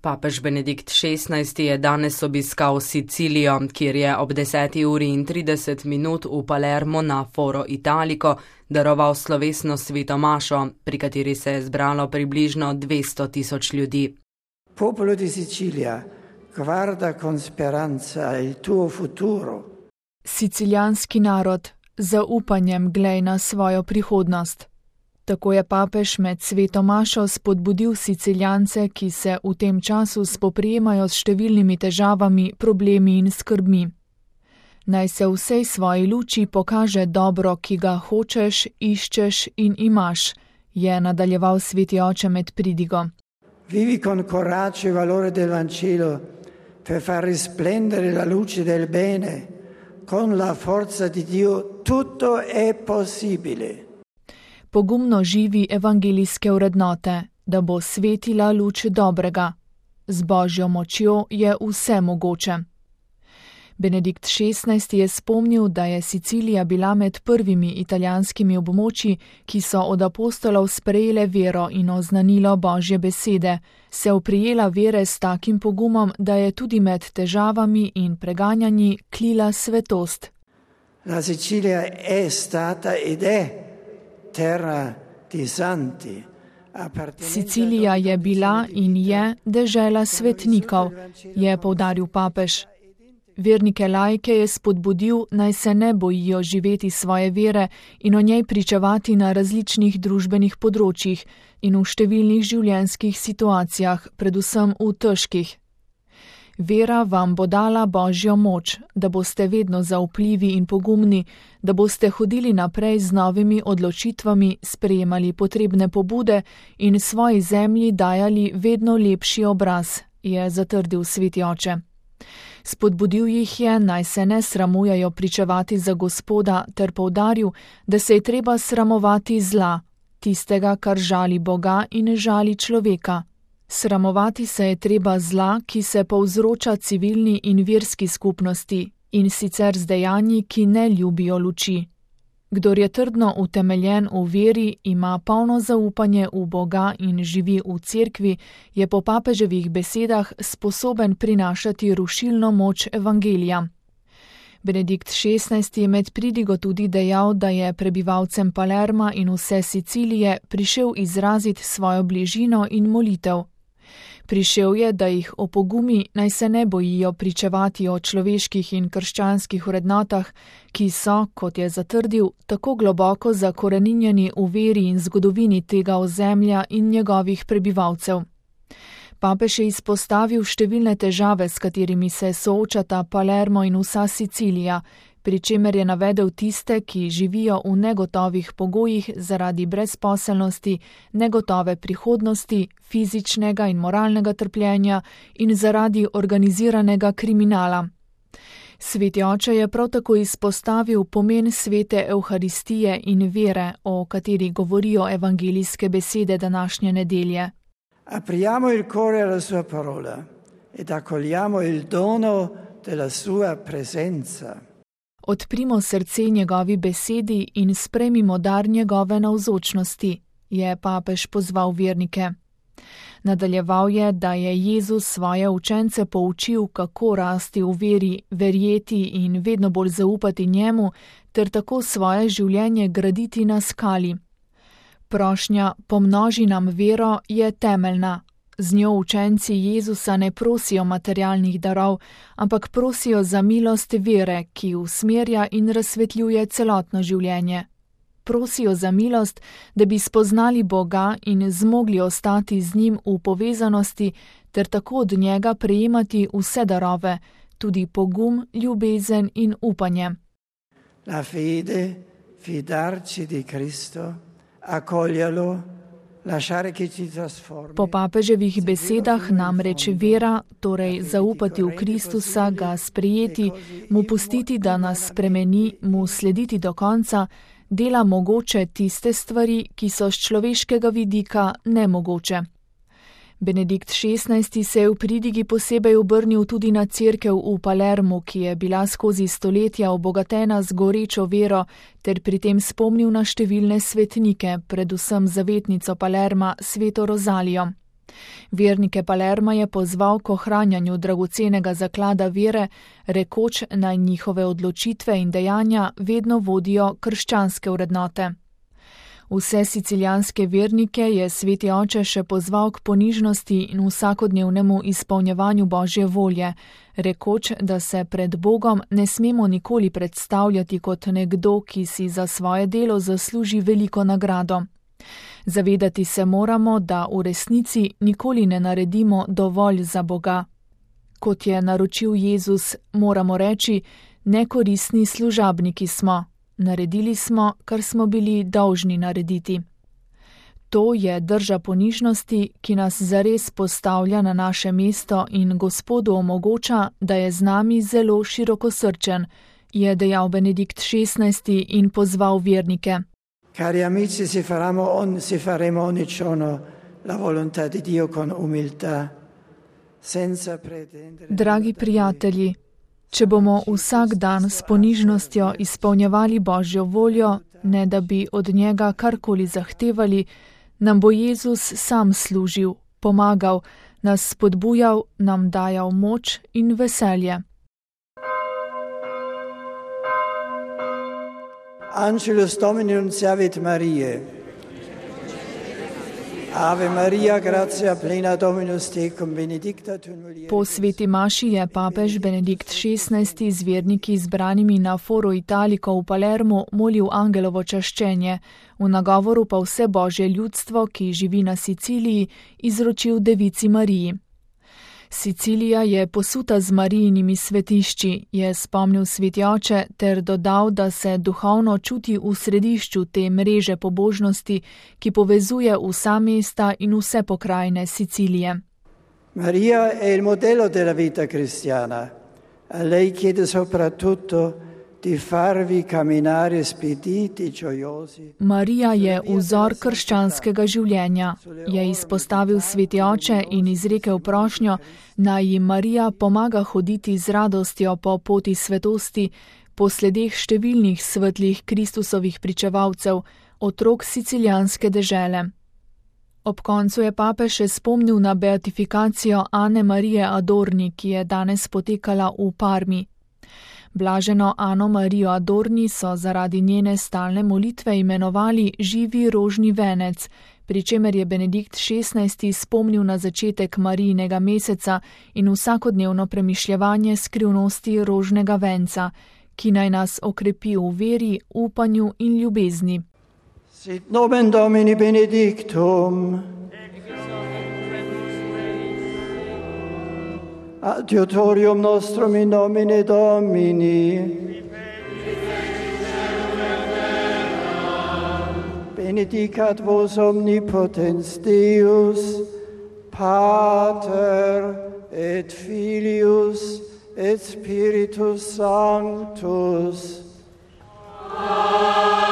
Papež Benedikt XVI je danes obiskal Sicilijo, kjer je ob 10:30 v Palermo na Foro Italico daroval slovesno sveto mašo, pri kateri se je zbralo približno 200 000 ljudi. Popolo di Sicilia, guarda con speranza il tuo futuro. Sicilijanski narod, zaupanjem glej na svojo prihodnost. Tako je papež med sveto mašo spodbudil Siciljance, ki se v tem času spoprijemajo s številnimi težavami, problemi in skrbmi. Naj se v vsej svoji luči pokaže dobro, ki ga hočeš, iščeš in imaš, je nadaljeval sveti oče med pridigo. Vivi con coraggio il valore del Vangelo per far risplendere la luce del bene. Con la forza di Dio tutto è possibile. Pogumno živi evangelijske vrednote, da bo svetila luč dobrega. Z Božjo močjo je vse mogoče. Benedikt XVI je spomnil, da je Sicilija bila med prvimi italijanskimi območji, ki so od apostolov sprejele vero in oznanilo Božje besede, se oprijela vere s takim pogumom, da je tudi med težavami in preganjanji klila svetost. La Sicilia è stata ed è terra di santi. Sicilija je bila in je dežela svetnikov, je poudaril papež. Vernike laike je spodbudil, naj se ne bojijo živeti svoje vere in o njej pričevati na različnih družbenih področjih in v številnih življenjskih situacijah, predvsem v težkih. Vera vam bo dala Božjo moč, da boste vedno zaupljivi in pogumni, da boste hodili naprej z novimi odločitvami, sprejemali potrebne pobude in svoji zemlji dajali vedno lepši obraz, je zatrdil sveti oče. Spodbudil jih je, naj se ne sramujejo pričevati za Gospoda, ter poudaril, da se je treba sramovati zla, tistega, kar žali Boga in žali človeka. Sramovati se je treba zla, ki se povzroča civilni in verski skupnosti, in sicer z dejanji, ki ne ljubijo luči. Kdor je trdno utemeljen v veri, ima polno zaupanje v Boga in živi v cerkvi, je po papeževih besedah sposoben prinašati rušilno moč evangelija. Benedikt XVI je med pridigo tudi dejal, da je prebivalcem Palerma in vse Sicilije prišel izraziti svojo bližino in molitev. Prišel je, da jih opogumi, naj se ne bojijo pričevati o človeških in krščanskih vrednotah, ki so, kot je zatrdil, tako globoko zakoreninjeni v veri in zgodovini tega ozemlja in njegovih prebivalcev. Papež je izpostavil številne težave, s katerimi se soočata Palermo in vsa Sicilija, pri čemer je navedel tiste, ki živijo v negotovih pogojih zaradi brezposelnosti, negotove prihodnosti, fizičnega in moralnega trpljenja in zaradi organiziranega kriminala. Sveti oče je prav tako izpostavil pomen svete Evharistije in vere, o kateri govorijo evangelijske besede današnje nedelje. Apriamo il cuore alla sua parola ed accogliamo il dono della sua presenza. Odprimo srce njegovi besedi in sprejmimo dar njegove navzočnosti, je papež pozval vernike. Nadaljeval je, da je Jezus svoje učence poučil, kako rasti v veri, verjeti in vedno bolj zaupati njemu, ter tako svoje življenje graditi na skali. Prošnja pomnoži nam vero je temeljna. Z njo učenci Jezusa ne prosijo materialnih darov, ampak prosijo za milost vere, ki usmerja in razsvetljuje celotno življenje. Prosijo za milost, da bi spoznali Boga in zmogli ostati z njim v povezanosti, ter tako od njega prejemati vse darove, tudi pogum, ljubezen in upanje. La fede, fidarci di Cristo, accoglielo. Po papeževih besedah namreč vera, torej zaupati v Kristusa, ga sprejeti, mu pustiti, da nas spremeni, mu slediti do konca, dela mogoče tiste stvari, ki so z človeškega vidika nemogoče. Benedikt XVI se je v pridigi posebej obrnil tudi na cerkev v Palermu, ki je bila skozi stoletja obogatena z gorečo vero, ter pri tem spomnil na številne svetnike, predvsem zavetnico Palerma, sveto Rozalijo. Vernike Palerma je pozval k ohranjanju dragocenega zaklada vere, rekoč naj njihove odločitve in dejanja vedno vodijo krščanske vrednote. Vse sicilijanske vernike je sveti oče še pozval k ponižnosti in vsakodnevnemu izpolnjevanju Božje volje, rekoč, da se pred Bogom ne smemo nikoli predstavljati kot nekdo, ki si za svoje delo zasluži veliko nagrado. Zavedati se moramo, da v resnici nikoli ne naredimo dovolj za Boga. Kot je naročil Jezus, moramo reči, nekoristni služabniki smo. Naredili smo, kar smo bili dolžni narediti. To je drža ponižnosti, ki nas zares postavlja na naše mesto in Gospodu omogoča, da je z nami zelo širokosrčen, je dejal Benedikt XVI in pozval vernike. Cari amici, si faremo ogni giorno la volontà di Dio con umiltà, senza pretendere. Dragi prijatelji, če bomo vsak dan s ponižnostjo izpolnjevali Božjo voljo, ne da bi od njega karkoli zahtevali, nam bo Jezus sam služil, pomagal, nas spodbujal, nam dajal moč in veselje. Angelus Domini nunciavit Mariae. Ave Maria, gratia plena Dominus tecum, benedicta tu in mulieribus. Po sveti maši je papež Benedikt XVI z verniki zbranimi na Foro Italico v Palermu molil angelovo čaščenje, v nagovoru pa vse Božje ljudstvo, ki živi na Siciliji, izročil Devici Mariji. Sicilija je posuta z Marijinimi svetišči, je spomnil sveti oče ter dodal, da se duhovno čuti v središču te mreže pobožnosti, ki povezuje vsa mesta in vse pokrajine Sicilije. Maria è il modello della vita cristiana. A lei chiede soprattutto di farvi camminare spediti, gioiosi. Marija je vzor krščanskega življenja, je izpostavil sveti oče in izrekel prošnjo, naj jim Marija pomaga hoditi z radostjo po poti svetosti, po sledeh številnih svetlih Kristusovih pričevalcev, otrok sicilijanske dežele. Ob koncu je papež še spomnil na beatifikacijo Ane Marije Adorni, ki je danes potekala v Parmi. Blaženo Ano Marijo Adorni so zaradi njene stalne molitve imenovali živi rožni venec, pri čemer je Benedikt XVI spomnil na začetek Marijinega meseca in vsakodnevno premišljevanje skrivnosti rožnega venca, ki naj nas okrepi v veri, upanju in ljubezni. Sit nomen Domini benedictum. Adiutorium nostrum in nomine Domini. Benedicat vos omnipotens Deus, Pater et Filius et Spiritus Sanctus. Amen.